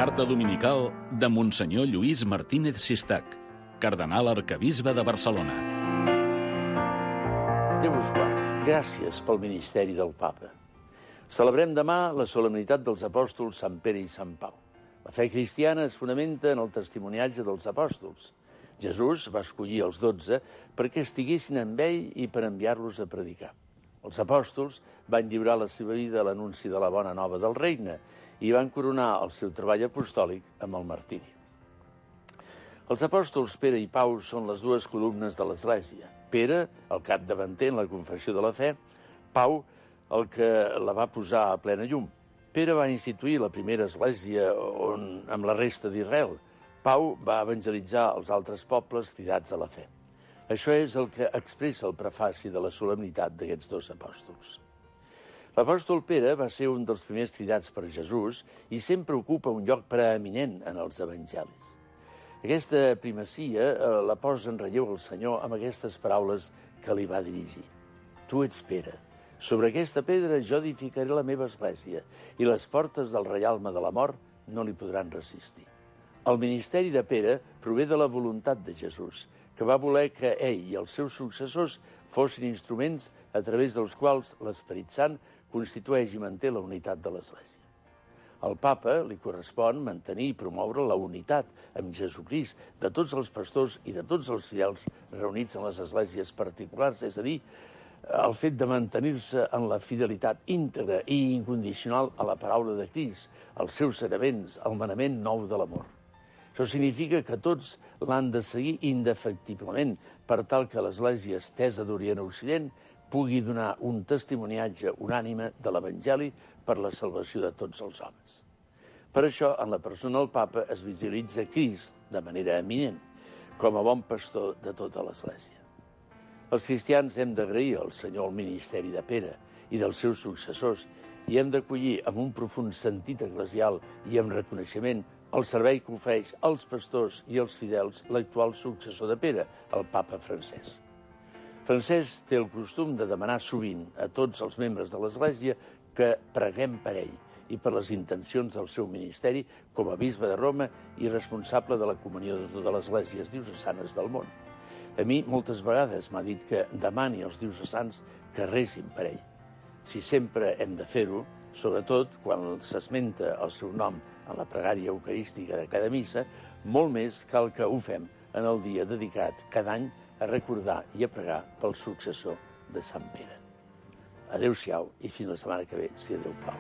Carta dominical de Monsenyor Lluís Martínez Sistac, cardenal arquebisbe de Barcelona. Déu us guard. Gràcies pel ministeri del Papa. Celebrem demà la solemnitat dels apòstols Sant Pere i Sant Pau. La fe cristiana es fonamenta en el testimoniatge dels apòstols. Jesús va escollir els 12 perquè estiguessin amb ell i per enviar-los a predicar. Els apòstols van lliurar la seva vida a l'anunci de la bona nova del regne i van coronar el seu treball apostòlic amb el martiri. Els apòstols Pere i Pau són les dues columnes de l'Església. Pere, el capdavanter en la confessió de la fe, Pau, el que la va posar a plena llum. Pere va instituir la primera església amb la resta d'Israel. Pau va evangelitzar els altres pobles cridats a la fe. Això és el que expressa el prefaci de la solemnitat d'aquests dos apòstols. L'apòstol Pere va ser un dels primers cridats per Jesús i sempre ocupa un lloc preeminent en els evangelis. Aquesta primacia la posa en relleu el Senyor amb aquestes paraules que li va dirigir. Tu ets Pere. Sobre aquesta pedra jo edificaré la meva església i les portes del reialme de la mort no li podran resistir. El ministeri de Pere prové de la voluntat de Jesús, que va voler que ell i els seus successors fossin instruments a través dels quals l'Esperit Sant constitueix i manté la unitat de l'Església. Al Papa li correspon mantenir i promoure la unitat amb Jesucrist de tots els pastors i de tots els fidels reunits en les esglésies particulars, és a dir, el fet de mantenir-se en la fidelitat íntegra i incondicional a la paraula de Crist, als seus saraments, al manament nou de l'amor. Això significa que tots l'han de seguir indefectiblement per tal que l'Església estesa d'Orient a Occident pugui donar un testimoniatge unànime de l'Evangeli per la salvació de tots els homes. Per això, en la persona del Papa es visualitza Crist de manera eminent, com a bon pastor de tota l'Església. Els cristians hem d'agrair al Senyor el ministeri de Pere i dels seus successors i hem d'acollir amb un profund sentit eclesial i amb reconeixement el servei que ofereix als pastors i als fidels l'actual successor de Pere, el papa Francesc. Francesc té el costum de demanar sovint a tots els membres de l'Església que preguem per ell i per les intencions del seu ministeri com a bisbe de Roma i responsable de la comunió de totes les esglésies diocesanes del món. A mi moltes vegades m'ha dit que demani als diocesans que rezin per ell. Si sempre hem de fer-ho, sobretot quan s'esmenta el seu nom en la pregària eucarística de cada missa, molt més cal que ho fem en el dia dedicat cada any a recordar i a pregar pel successor de Sant Pere. Adéu-siau i fins la setmana que ve, si Déu plau.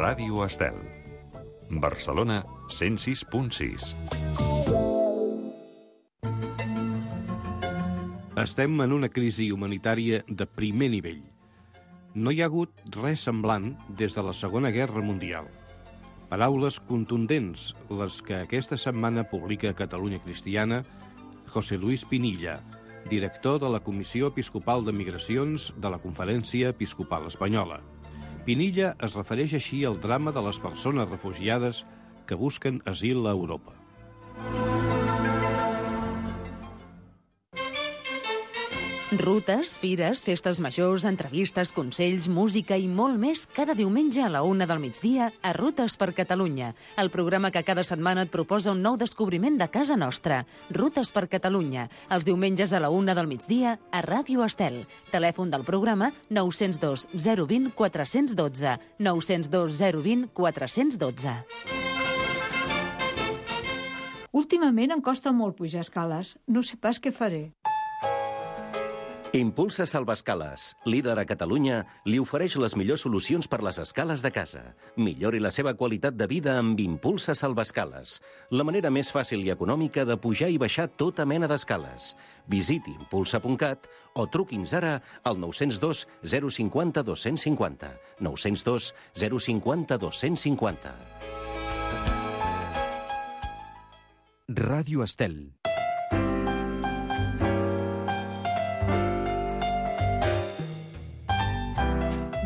Ràdio Estel. Barcelona 106.6. Estem en una crisi humanitària de primer nivell. No hi ha hagut res semblant des de la Segona Guerra Mundial. Paraules contundents, les que aquesta setmana publica Catalunya Cristiana José Luis Pinilla, director de la Comissió Episcopal de Migracions de la Conferència Episcopal Espanyola. Pinilla es refereix així al drama de les persones refugiades que busquen asil a Europa. Rutes, fires, festes majors, entrevistes, consells, música i molt més cada diumenge a la 1 del migdia a Rutes per Catalunya, el programa que cada setmana et proposa un nou descobriment de casa nostra. Rutes per Catalunya, els diumenges a la 1 del migdia a Ràdio Estel. Telèfon del programa 902 020 412, 902 020 412. Últimament em costa molt pujar escales. No sé pas què faré. Impulsa Salvescales, líder a Catalunya, li ofereix les millors solucions per les escales de casa. Millori la seva qualitat de vida amb Impulsa Salvescales, la manera més fàcil i econòmica de pujar i baixar tota mena d'escales. Visiti impulsa.cat o truqui'ns ara al 902 050 250, 902 050 250. Ràdio Estel.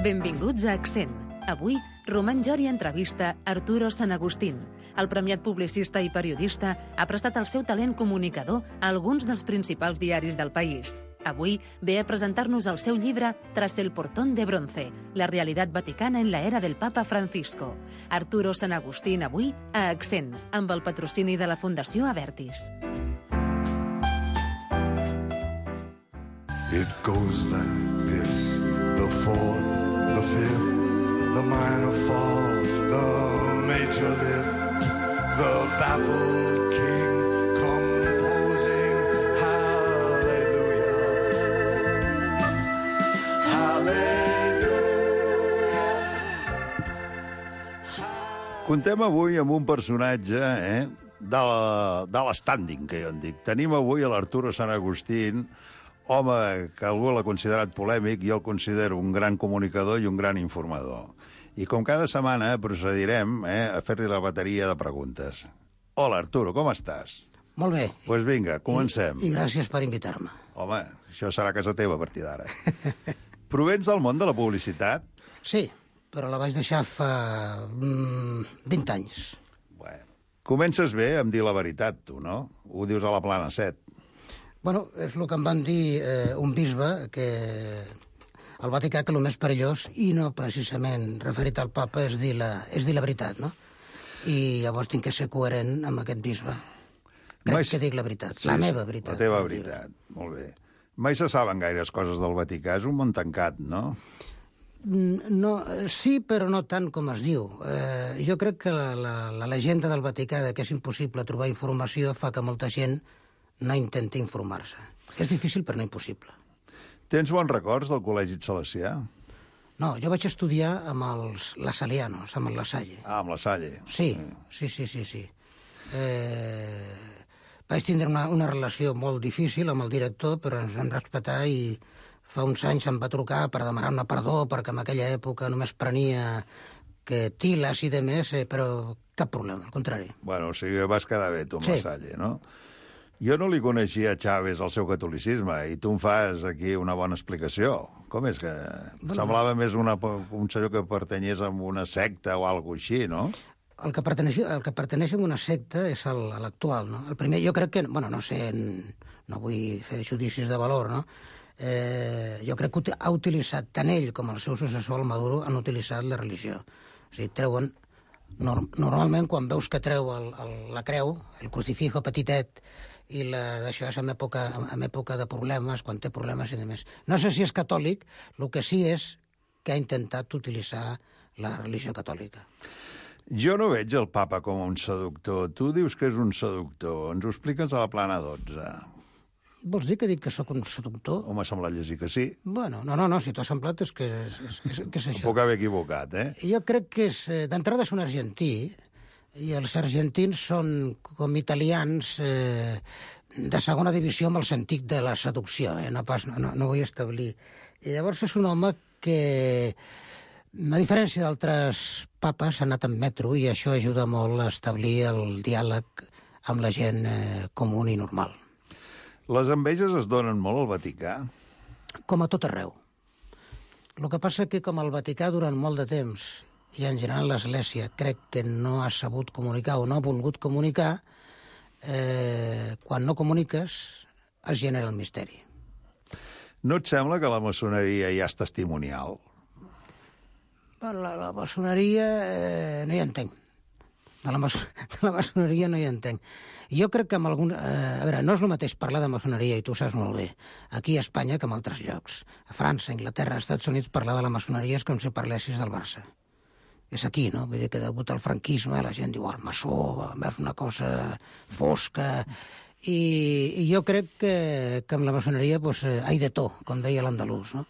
Benvinguts a Accent. Avui, Roman Jori entrevista Arturo San Agustín. El premiat publicista i periodista ha prestat el seu talent comunicador a alguns dels principals diaris del país. Avui ve a presentar-nos el seu llibre Tras el portón de bronce, la realitat vaticana en la era del Papa Francisco. Arturo Sant Agustín avui a Accent, amb el patrocini de la Fundació Avertis. It goes like this, the fourth, the fifth, the minor fall, the major lift, the baffled king composing hallelujah, hallelujah. Contem avui amb un personatge, de l'estànding, que jo en dic. Tenim avui a l'Arturo Sant Agustín, home que algú l'ha considerat polèmic, jo el considero un gran comunicador i un gran informador. I com cada setmana procedirem a fer-li la bateria de preguntes. Hola, Arturo, com estàs? Molt bé. Doncs pues vinga, comencem. I gràcies per invitar-me. Home, això serà casa teva a partir d'ara. Provens del món de la publicitat? Sí, però la vaig deixar fa 20 anys. Bueno, comences bé amb dir la veritat, tu, no? Ho dius a la Plana 7. Bueno, és el que em van dir un bisbe, que al Vaticà que el més perillós, i no precisament referit al papa, és dir la veritat, no? I llavors tinc que ser coherent amb aquest bisbe. Crec que dic la veritat, sí, la meva veritat. La teva veritat, molt bé. Mai se saben gaires coses del Vaticà, és un món tancat, no? No, sí, però no tant com es diu. Jo crec que la llegenda del Vaticà que és impossible trobar informació fa que molta gent no intenti informar-se. És difícil, però no impossible. Tens bons records del Col·legi Salesià? No, jo vaig estudiar amb els lasalianos, amb el La Salle. Ah, amb La Salle. Sí. Vaig tindre una relació molt difícil amb el director, però ens vam respectar i fa uns anys em va trucar per demanar-me perdó, perquè en aquella època només prenia que tiles i de més, però cap problema, al contrari. Bueno, o sigui, vas quedar bé tu amb La Salle, no? Jo no li coneixia a Chávez el seu catolicisme i tu em fas aquí una bona explicació. Com és que semblava més un senyor que pertanyés a una secta o alguna així, no? El que pertaneix a una secta és l'actual, no? El primer, jo crec que, bueno, no sé, no vull fer judicis de valor, no? Jo crec que ha utilitzat, tant ell com el seu successor, el Maduro, han utilitzat la religió. O sigui, treuen... Normalment, quan veus que treu la creu, el crucifijo petitet, i d'això és en època de problemes, quan té problemes i demés. No sé si és catòlic, el que sí és que ha intentat utilitzar la religió catòlica. Jo no veig el papa com un seductor. Tu dius que és un seductor. Ens ho expliques a la Plana 12. Vols dir que dic que sóc un seductor? M'ha semblat llegir que sí. Bueno, no, si t'ha semblat és que és això. Em puc haver equivocat, Jo crec que d'entrada és un argentí, i els argentins són com italians de segona divisió amb el sentit de la seducció, no vull establir. I llavors és un home que, a diferència d'altres papes, ha anat en metro i això ajuda molt a establir el diàleg amb la gent comú i normal. Les enveges es donen molt al Vaticà? Com a tot arreu. El que passa que com el Vaticà durant molt de temps i en general l'Església crec que no ha sabut comunicar o no ha volgut comunicar, quan no comuniques es genera el misteri. No et sembla que la maçoneria ja és testimonial? La maçoneria no hi entenc. De la maçoneria no hi entenc. Jo crec que amb algun... A veure, no és el mateix parlar de maçoneria, i tu saps molt bé, aquí a Espanya que en altres llocs. A França, Anglaterra, als Estats Units, parlar de la maçoneria és com si parlessis del Barça. És aquí, no? Vull dir que degut al franquisme la gent diu, el maçó, és una cosa fosca... I jo crec que amb la maçoneria hay de tot, com deia l'andalús, no?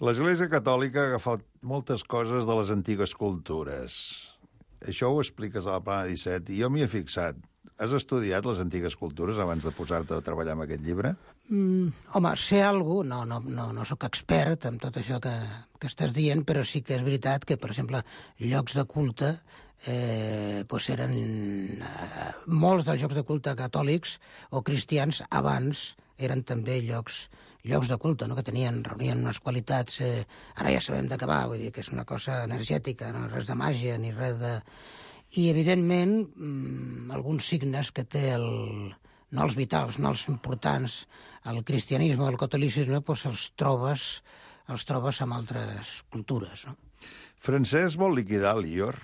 L'Església Catòlica ha agafat moltes coses de les antigues cultures. Això ho expliques a la Plana 17 i jo m'hi he fixat. Has estudiat les antigues cultures abans de posar-te a treballar amb aquest llibre? Home, sé alguna cosa, no sóc expert en tot això que estàs dient, però sí que és veritat que, per exemple, llocs de culte, eren molts dels llocs de culte catòlics o cristians abans eren també llocs de culte, no? Que reunien unes qualitats... Ara ja sabem de què va, vull dir que és una cosa energètica, no res de màgia ni res de... I, evidentment, alguns signes que té no els vitals, no els importants, el cristianisme o el catolicisme, doncs els trobes amb altres cultures, no? Francesc vol liquidar l'IOR,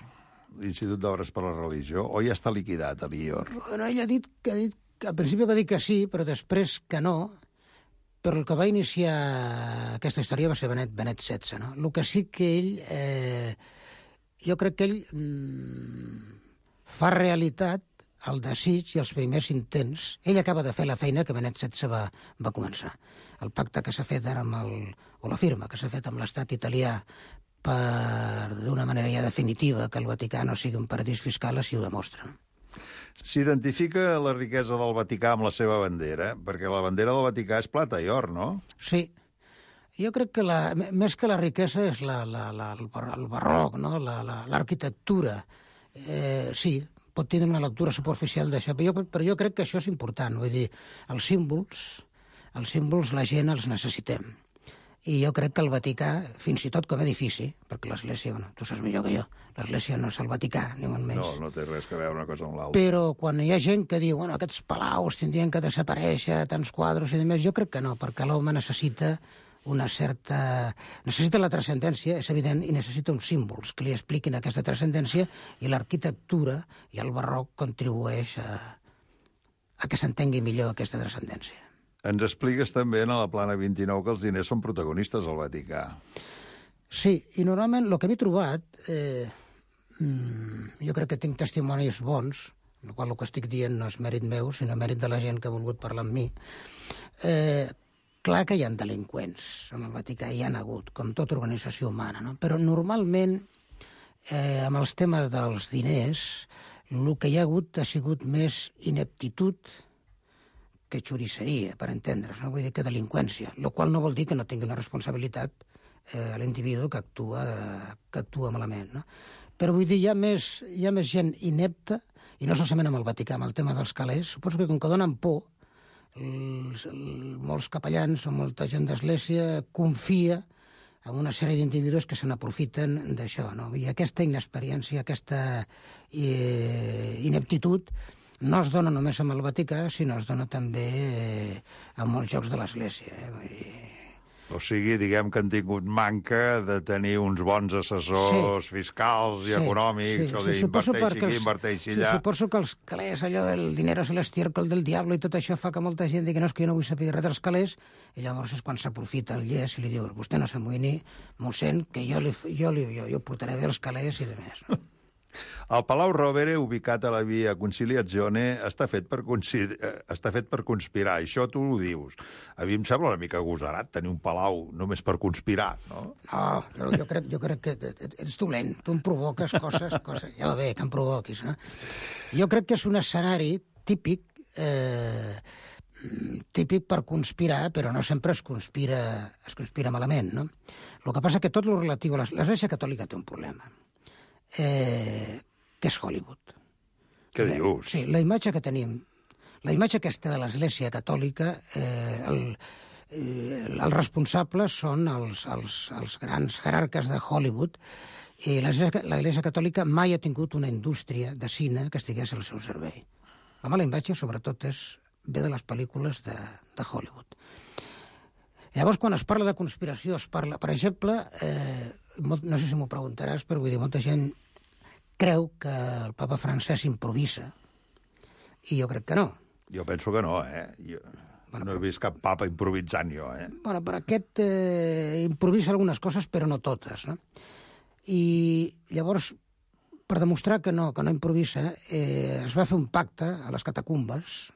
l'Institut d'Obres per la Religió, o ja està liquidat, l'IOR? Bueno, ell ha dit que al principi va dir que sí, però després que no, però el que va iniciar aquesta història va ser Benet XVI, no? El que sí que ell... jo crec que ell fa realitat el desig i els primers intents. Ell acaba de fer la feina que Benet XVI va començar. El pacte que s'ha fet ara o la firma que s'ha fet amb l'estat italià per, d'una manera ja definitiva, que el Vaticà no sigui un paradís fiscal, així ho demostra. S'identifica la riquesa del Vaticà amb la seva bandera, perquè la bandera del Vaticà és plata i or, no? Sí. Jo crec que més que la riquesa és el barroc, no? L'arquitectura. Sí, pot tenir una lectura superficial d'això, però jo crec que això és important. Vull dir, els símbols la gent els necessitem. I jo crec que el Vaticà, fins i tot com a edifici, perquè l'Església, bueno, tu saps millor que jo, l'Església no és el Vaticà, ni molt menys. No té res que veure una cosa amb l'altra. Però quan hi ha gent que diu, bueno, aquests palaus tindrien que desaparèixer, tants quadres i demés, jo crec que no, perquè l'home necessita necessita la transcendència, és evident, i necessita uns símbols que li expliquin aquesta transcendència, i l'arquitectura i el barroc contribueix a que s'entengui millor aquesta transcendència. Ens expliques també en la plana 29 que els diners són protagonistes al Vaticà. Sí, i normalment el que m'he trobat, jo crec que tinc testimonis bons, en el qual el que estic dient no és mèrit meu, sinó mèrit de la gent que ha volgut parlar amb mi. Clar que hi ha delinqüents en el Vaticà, hi ha hagut, com tota organització humana, no? Però normalment, amb els temes dels diners, el que hi ha hagut ha sigut més ineptitud que xurisseria, per entendre's, no? Vull dir que delinqüència, el qual no vol dir que no tingui una responsabilitat l'individu que actua malament, no? Però vull dir, hi ha més gent inepta, i no solament amb el Vaticà, amb el tema dels calés. Suposo que com que donen por, molts capellans o molta gent d'Església confia en una sèrie d'individus que se n'aprofiten d'això, no? I aquesta inexperiència, aquesta ineptitud, no es dona només amb el Vaticà, sinó es dona també a molts llocs de l'Església. O sigui, diguem que han tingut manca de tenir uns bons assessors fiscals i econòmics, inverteixi allà. Suposo que els calés, allò del dinero es el estiércol del diablo i tot això fa que molta gent digui no, és que jo no vull saber res dels calés, i llavors és quan s'aprofita el llest i li diu vostè no s'amoïni, mossèn, que jo portaré bé els calés i demés, no? El Palau Rovere, ubicat a la via Conciliazione, està fet per conspirar. Això tu ho dius. A mi em sembla una mica agosarat tenir un palau només per conspirar, no? No, jo crec que ets dolent. Tu em provoques coses, ja va bé, que em provoquis, no? Jo crec que és un escenari típic per conspirar, però no sempre es conspira malament, no? El que passa que tot el relatiu a l'Església Catòlica té un problema. Que és Hollywood. Què dius? Sí, la imatge que tenim, la imatge aquesta de l'Església Catòlica, els responsables són els grans jerarques de Hollywood, i l'Església Catòlica mai ha tingut una indústria de cine que estigués al seu servei. La mala imatge, sobretot, ve de les pel·lícules de Hollywood. Llavors, quan es parla de conspiració, es parla... Per exemple, no sé si m'ho preguntaràs, però vull dir, molta gent creu que el papa Francesc improvisa, i jo crec que no. Jo penso que no, no he vist cap papa improvisant jo, Bueno, però aquest improvisa algunes coses, però no totes, no? I llavors, per demostrar que no improvisa, es va fer un pacte a les catacumbes,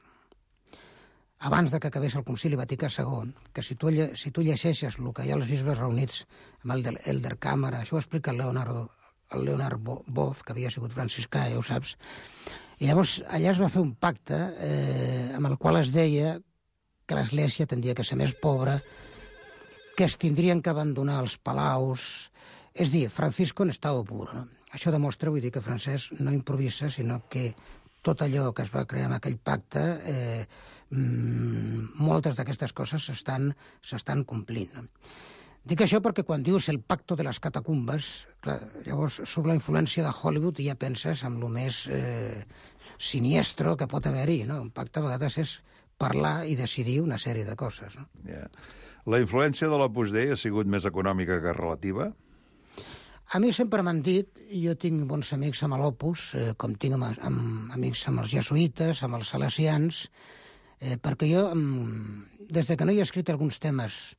abans de que acabés el Concili Vaticà II, que si tu llegeixes el que hi ha als bisbes reunits amb el Elder Càmera, això ho explica el Leonard Boff, que havia sigut franciscà, ja ho saps, i llavors allà es va fer un pacte amb el qual es deia que l'Església tindria que ser més pobra, que es tindrien que abandonar els palaus... És dir, Francisco en estado puro, no? Això demostra, vull dir, que Francesc no improvisa, sinó que tot allò que es va crear en aquell pacte, moltes d'aquestes coses s'estan complint. No? Dic això perquè quan dius el pacto de les catacumbes, clar, llavors surt la influència de Hollywood i ja penses en el més siniestro que pot haver-hi, no? Un pacte a vegades és parlar i decidir una sèrie de coses, no? Yeah. La influència de l'Opus Dei ha sigut més econòmica que relativa? A mi sempre m'han dit, jo tinc bons amics amb l'Opus, com tinc amics amb els jesuïtes, amb els salesians, perquè jo, des que no hi he escrit alguns temes,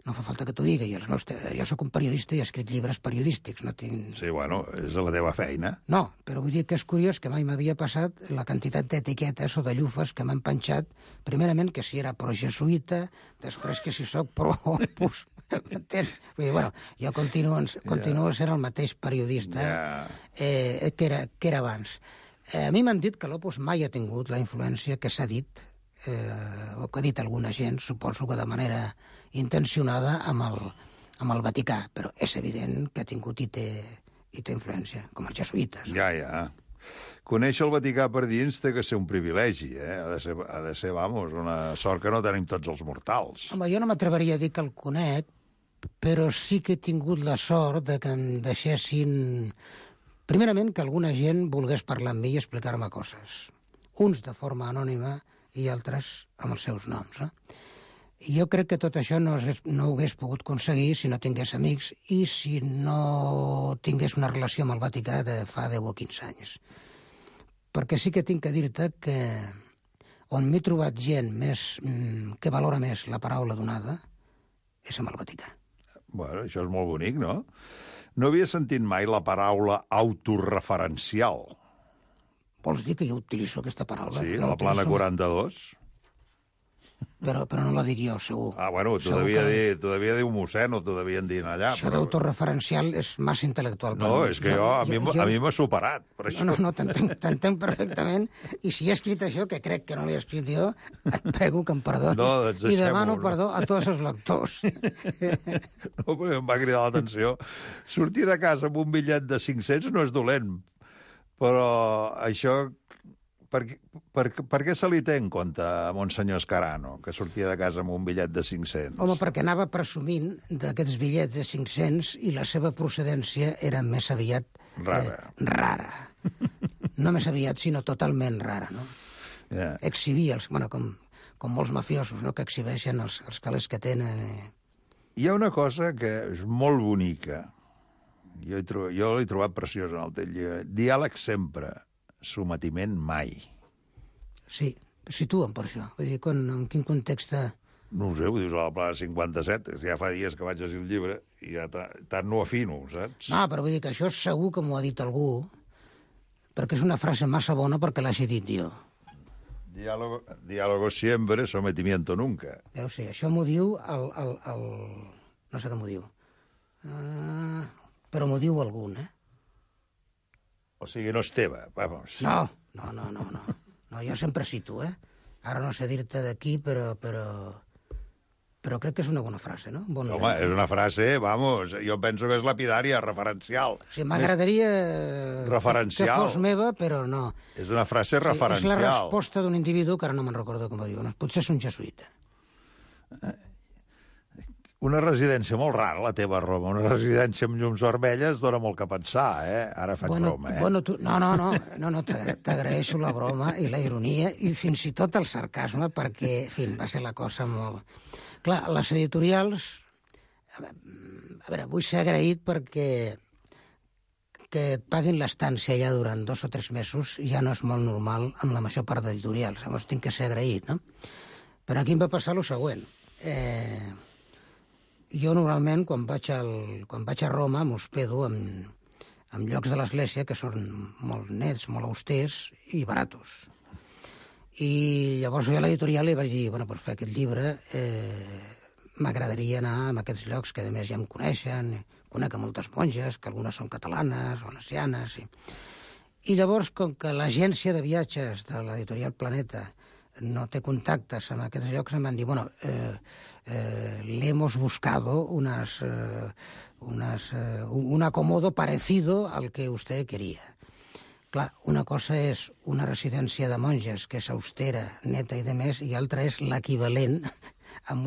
no fa falta que t'ho digui, jo sóc un periodista i he escrit llibres periodístics, no tinc... Sí, bueno, és la teva feina. No, però vull dir que és curiós que mai m'havia passat la quantitat d'etiquetes o de llufes que m'han penjat, primerament que si era pro-jesuïta, després que si sóc pro-Opus... M'entens? Vull dir, bueno, jo continuo sent el mateix periodista que era abans. A mi m'han dit que l'Opus mai ha tingut la influència que s'ha dit, o que ha dit alguna gent, suposo que de manera intencionada, amb el Vaticà, però és evident que ha tingut i té influència, com els jesuïtes. Ja. Conèixer el Vaticà per dins té que ser un privilegi, Ha de ser, vamos, una sort que no tenim tots els mortals. Home, jo no m'atreveria a dir que el conec, però sí que he tingut la sort de que em deixessin... Primerament, que alguna gent volgués parlar amb mi i explicar-me coses. Uns de forma anònima i altres amb els seus noms, I jo crec que tot això no ho hagués pogut aconseguir si no tingués amics i si no tingués una relació amb el Vaticà de fa 10 o 15 anys. Perquè sí que tinc que dir-te que on m'he trobat gent que valora més la paraula donada és amb el Vaticà. Bueno, això és molt bonic, no? No havia sentit mai la paraula autorreferencial. Vols dir que jo utilitzo aquesta paraula? Sí, a la plana 42. Però no la dic jo, segur. Bueno, t'ho devia dir un mossèn o t'ho devien dir allà. Això d'autorreferencial és massa intel·lectual. No, és que a mi m'ha superat. Per això. No, t'entenc perfectament. I si he escrit això, que crec que no l'he escrit jo, et prego que em perdonis. I demano perdó a tots els lectors. No, perquè em va cridar l'atenció. Sortir de casa amb un bitllet de 500 no és dolent, però això... Per què se li té en compte a Monsenyor Escarano, que sortia de casa amb un bitllet de 500? Home, perquè anava presumint d'aquests bitllets de 500 i la seva procedència era més aviat... rara. No més aviat, sinó totalment rara, no? Exhibia, com molts mafiosos, no?, que exhibeixen els calés que tenen. Hi ha una cosa que és molt bonica. Jo l'he trobat preciós en el teu llibre. Diàleg sempre. Sometiment mai. Sí, situa'm per això. Vull dir, en quin context... No ho sé, ho dius a la plana 57, ja fa dies que vaig llegir el llibre i ja tant no afino, saps? No, però vull dir que això segur que m'ho ha dit algú, perquè és una frase massa bona perquè l'hagi dit jo. Diálogo siempre, sometimiento nunca. Veus, sí, això m'ho diu no sé què m'ho diu. Però m'ho diu algun, O sigui, no és teva, vamos. No, jo sempre cito, Ara no sé dir-te d'aquí, però crec que és una bona frase, no? Home, és una frase, vamos, jo penso que és lapidària, referencial. Sí, m'agradaria que fos meva, però no. És una frase referencial. És la resposta d'un individu, que ara no me'n recordo com ho diu. Potser és un jesuïta. Una residència molt rara, la teva, Roma. Una residència amb llums vermelles dona molt que pensar, Ara faig broma, No, t'agraeixo la broma i la ironia i fins i tot el sarcasme, perquè, en fi, va ser la cosa molt... Clar, les editorials... A veure, vull ser agraït perquè que et paguin l'estància allà durant 2 o 3 mesos ja no és molt normal amb la major part d'editorials. Llavors tinc que ser agraït, no? Però aquí em va passar el següent. Jo normalment, quan vaig a Roma, m'hospedo en llocs de l'Església que són molt nets, molt austers i baratos. I llavors jo a l'editorial li vaig dir, per fer aquest llibre m'agradaria anar a aquests llocs que a més ja em coneixen, conec a moltes monges, que algunes són catalanes, valencianes... I llavors, com que l'agència de viatges de l'editorial Planeta no té contactes en aquests llocs, em van dir, le hemos buscado un acomodo parecido al que usted quería. Clar, una cosa és una residència de monges que és austera, neta i de més, i altra és l'equivalent amb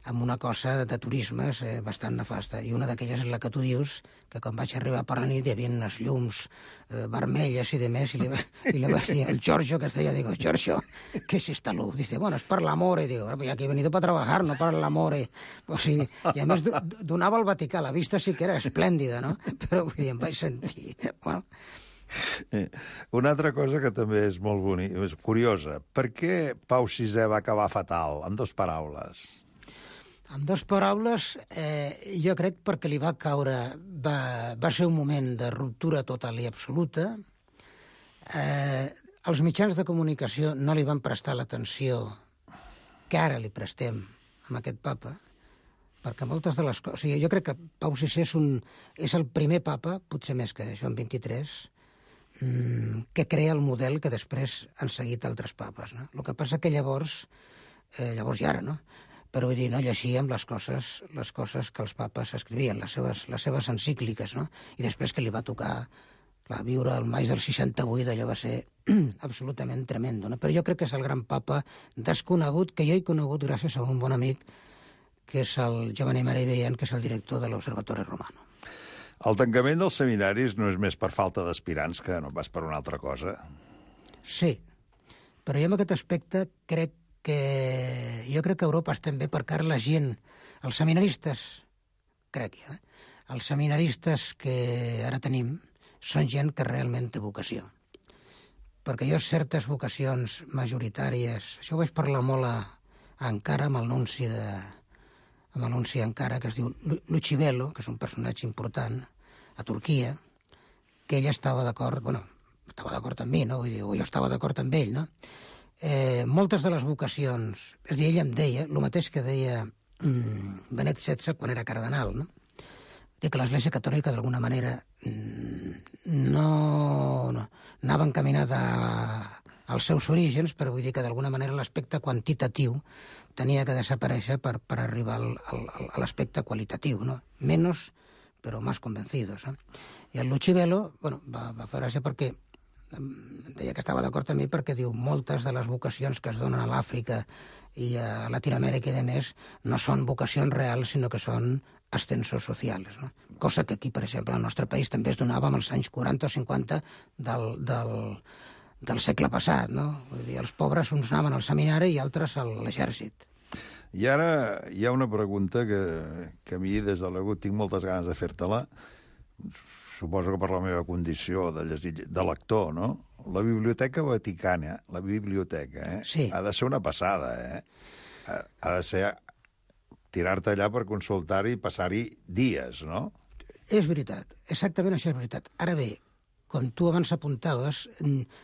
amb una cosa de turismes bastant nefasta. I una d'aquelles és la que tu dius, que quan vaig arribar per la nit hi havia unes llums vermelles i de més, i li vaig dir al Giorgio, que es deia, digo, Giorgio, ¿qué es esta luz? Dice, bueno, es per l'amore. Digo, pues aquí he venido para trabajar, no para l'amore. O sigui, i a més donava al Vaticà, la vista sí que era esplèndida, no? Però vull dir, em vaig sentir... Bueno. Una altra cosa que també és molt bonica, és curiosa. Per què Pau VI va acabar fatal? En 2 paraules. En 2 paraules, jo crec perquè li va caure... Va ser un moment de ruptura total i absoluta. Els mitjans de comunicació no li van prestar l'atenció que ara li prestem a aquest papa, perquè moltes de les coses... O sigui, jo crec que Pau VI és el primer papa, potser més que Joan XXIII, que crea el model que després han seguit altres papes. No? El que passa que llavors i ara, no? Però vull dir, no llegíem les coses que els papes escrivien, les seves encícliques, no? I després que li va tocar viure el maig del 68, allò va ser absolutament tremendo, no? Però jo crec que és el gran papa desconegut, que jo he conegut gràcies a un bon amic, que és el Giovanni Maria Vian, que és el director de l'Observatori Romano. El tancament dels seminaris no és més per falta d'aspirants que no pas per una altra cosa. Sí, però jo en aquest aspecte jo crec que Europa estem bé perquè ara la gent, els seminaristes, els seminaristes que ara tenim són gent que realment té vocació. Perquè jo certes vocacions majoritàries, això ho vaig parlar molt a Ankara amb el nunci Ankara, que es diu Lucibello, que és un personatge important, a Turquia, que ell estava d'acord, estava d'acord amb mi, no? Vull dir, o jo estava d'acord amb ell, no? Moltes de les vocacions, és a dir, ell em deia, el mateix que deia Benet XVI quan era cardenal, no? Dic que l'Església Catòlica, d'alguna manera, no anava encaminada als seus orígens, però vull dir que d'alguna manera l'aspecte quantitatiu tenia que desaparèixer per arribar a l'aspecte qualitatiu, no? Menos, però más convencidos, no? I el Lucibello, va fer gràcia perquè deia que estava d'acord amb mi perquè diu moltes de les vocacions que es donen a l'Àfrica i a Latinoamèrica i de més no són vocacions reals, sinó que són ascensos socials, no? Cosa que aquí, per exemple, al nostre país també es donava en els anys 40 o 50 del segle passat, no? Vull dir, els pobres uns anaven al seminari i altres a l'exèrcit. I ara hi ha una pregunta que a mi, des de l'Agut, tinc moltes ganes de fer-te-la. Suposo que per la meva condició de lector, no? La Biblioteca Vaticana, sí. Ha de ser una passada, Ha de ser tirar-te allà per consultar-hi i passar-hi dies, no? És veritat, exactament això és veritat. Ara bé, com tu abans apuntaves,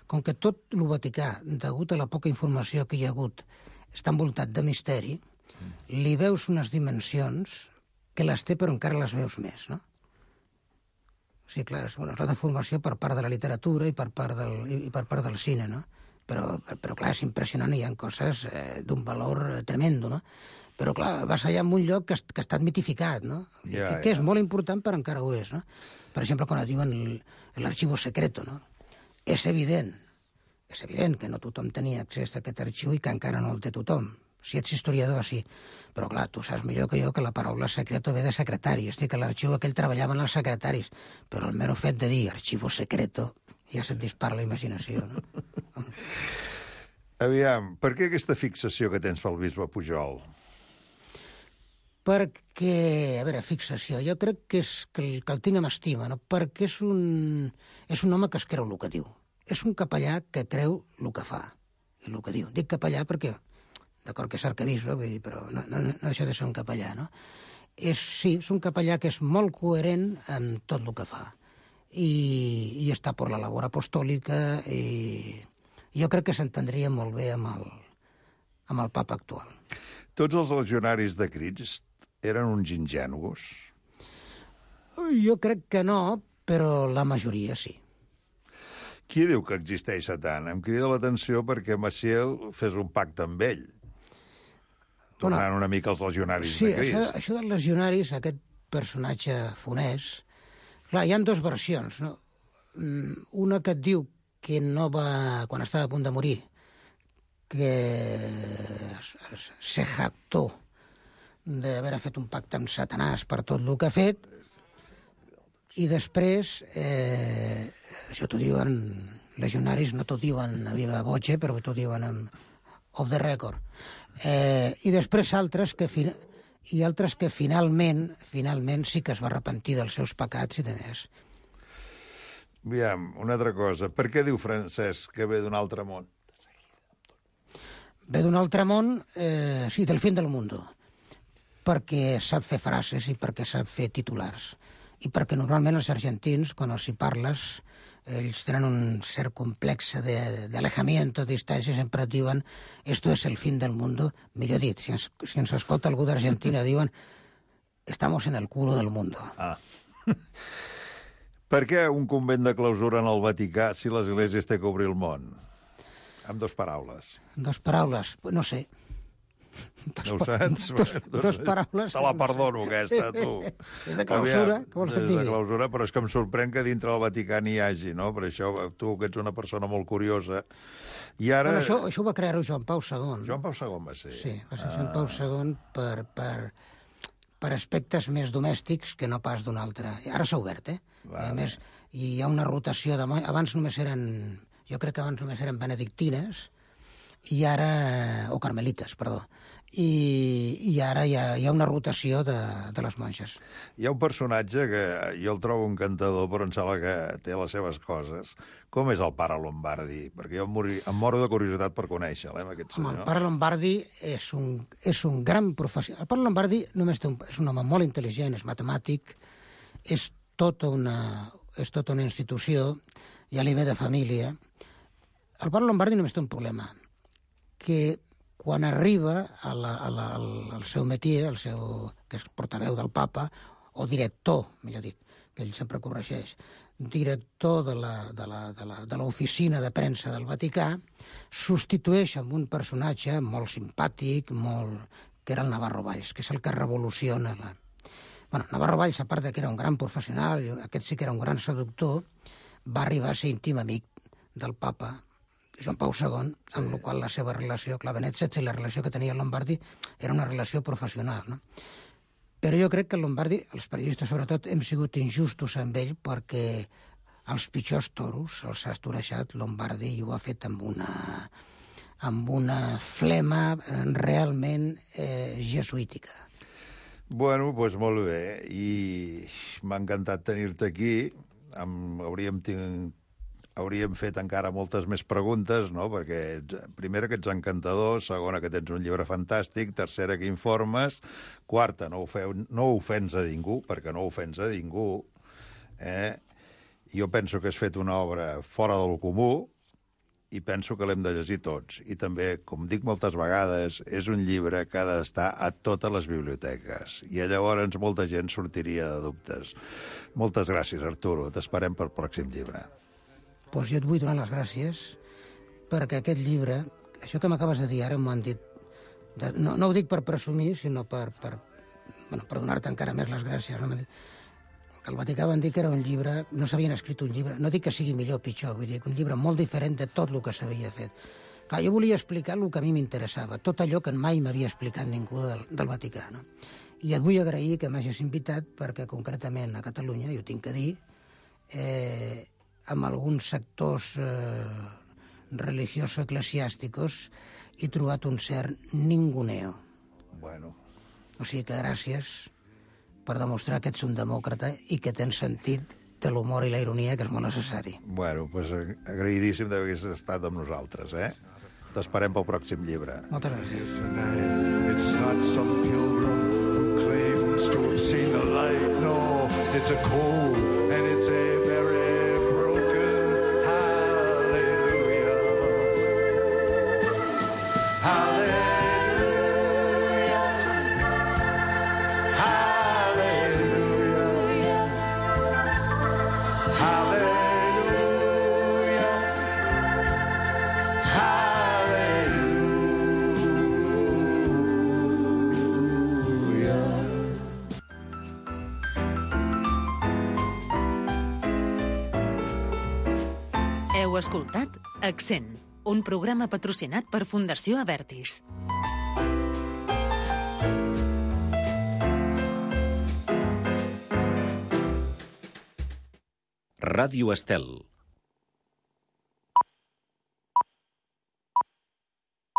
com que tot el Vaticà, degut a la poca informació que hi ha hagut, està envoltat de misteri, li veus unes dimensions que les té però encara les veus més, no? O sigui, clar, és la deformació per part de la literatura i per part del cine, no? Però clar, és impressionant, hi ha coses d'un valor tremendo, no? Però clar, vas allà en un lloc que ha estat mitificat, no? Que és molt important, però encara ho és, no? Per exemple, quan et diuen l'arxivo secreto, no? És evident que no tothom tenia accés a aquest arxiu i que encara no el té tothom. Si ets historiador, sí. Però, clar, tu saps millor que jo que la paraula secreto ve de secretari. És a dir, que l'arxiu aquell treballaven els secretaris. Però el mero fet de dir arxivo secreto ja se't dispara la imaginació, no? Aviam, per què aquesta fixació que tens pel bisbe Pujol? Perquè, a veure, fixació, jo crec que el tinc amb estima, no? Perquè és un home que es creu el que diu. És un capellà que creu el que fa i el que diu. Dic capellà perquè, d'acord que és arquebisbe, vull dir, però no deixa de ser un capellà, no? Sí, és un capellà que és molt coherent en tot el que fa. I està per la labor apostòlica i jo crec que s'entendria molt bé amb el papa actual. Tots els legionaris de Crist eren uns ingenus? Jo crec que no, però la majoria sí. Qui diu que existeix Satan? Em crida l'atenció perquè Maciel fes un pacte amb ell, tornant una mica als legionaris de Crist. Sí, això dels legionaris, aquest personatge funès, clar, hi ha dues versions, no? Una que et diu que no va, quan estava a punt de morir, que se jactó d'haver fet un pacte amb Satanàs per tot el que ha fet, i després, això t'ho diuen legionaris, no t'ho diuen a viva voce, però t'ho diuen off the record. I després altres que finalment sí que es va arrepentir dels seus pecats i de més. Aviam, una altra cosa. Per què diu Francesc que ve d'un altre món? Ve d'un altre món, sí, del fin del mundo, perquè sap fer frases i perquè sap fer titulars. I perquè normalment els argentins, quan els hi parles, ells tenen un cert complex d'alejamiento, de distància, sempre diuen esto es el fin del mundo. Millor dit, si ens escolta algú d'Argentina, diuen estamos en el culo del mundo. Ah. Per què un convent de clausura en el Vaticà si l'Església es té que obrir el món? Amb dues paraules. Dues paraules? No sé. No ho saps? Dos paraules... Te la perdono, aquesta, tu. És de clausura, què vols que et digui? És de clausura, però és que em sorprèn que dintre del Vaticà n'hi hagi, no? Per això, tu, que ets una persona molt curiosa... I ara... Bueno, això ho va crear Joan Pau II. Joan Pau II va ser? Sí, va ser Joan Pau II per aspectes més domèstics que no pas d'un altre. Ara s'ha obert, A més, hi ha una rotació de... Abans només eren... Jo crec que abans només eren benedictines, i ara... o carmelites, perdó. I ara hi ha una rotació de les monges. Hi ha un personatge que jo el trobo encantador, però em sembla que té les seves coses. Com és el pare Lombardi? Perquè jo em moro de curiositat per conèixer-lo, aquest senyor. El pare Lombardi és un gran professional. El pare Lombardi només és un home molt intel·ligent, és matemàtic, és tota una institució, ja li ve de família. El pare Lombardi només té un problema, que quan arriba al seu métier, que és portaveu del papa, o director, millor dit, que ell sempre corregeix, director de l'oficina de premsa del Vaticà, substitueix amb un personatge molt simpàtic, que era el Navarro Valls, que és el que revoluciona Navarro Valls, a part que era un gran professional, aquest sí que era un gran seductor, va arribar a ser íntim amic del papa Joan Pau II, amb la qual la seva relació, clar, Benet XVI, i la relació que tenia Lombardi era una relació professional, no? Però jo crec que Lombardi, els periodistes sobretot, hem sigut injustos amb ell perquè els pitjors toros els ha estorejat Lombardi i ho ha fet amb una flema realment jesuítica. Bueno, doncs molt bé, i m'ha encantat tenir-te aquí. Hauríem fet encara moltes més preguntes, no? Perquè, primera, que ets encantador, segona, que tens un llibre fantàstic, tercera, que informes, quarta, no ofens a ningú, perquè no ofens a ningú. Jo penso que has fet una obra fora del comú i penso que l'hem de llegir tots. I també, com dic moltes vegades, és un llibre que ha d'estar a totes les biblioteques. I llavors molta gent sortiria de dubtes. Moltes gràcies, Arturo. T'esperem pel pròxim llibre. Doncs jo et vull donar les gràcies perquè aquest llibre, això que m'acabes de dir ara m'ho han dit, no ho dic per presumir, sinó per donar-te encara més les gràcies. No? Que al Vaticà van dir que era un llibre, no s'havien escrit un llibre, no dic que sigui millor o pitjor, vull dir que un llibre molt diferent de tot el que s'havia fet. Clar, jo volia explicar el que a mi m'interessava, tot allò que mai m'havia explicat ningú del Vaticà. No? I et vull agrair que m'hagis invitat perquè concretament a Catalunya, jo tinc que dir, amb alguns sectors religioso-eclesiàsticos he trobat un cert ninguneo. Bueno. O sigui que gràcies per demostrar que ets un demòcrata i que tens sentit de l'humor i la ironia, que és molt necessari. Bueno, doncs agraïdíssim d'haver estat amb nosaltres, T'esperem pel pròxim llibre. Moltes gràcies. It's not some pilgrim who claims to have seen the light. No, it's a cold and it's a very Heu escoltat Accent, un programa patrocinat per Fundació Avertis. Ràdio Estel.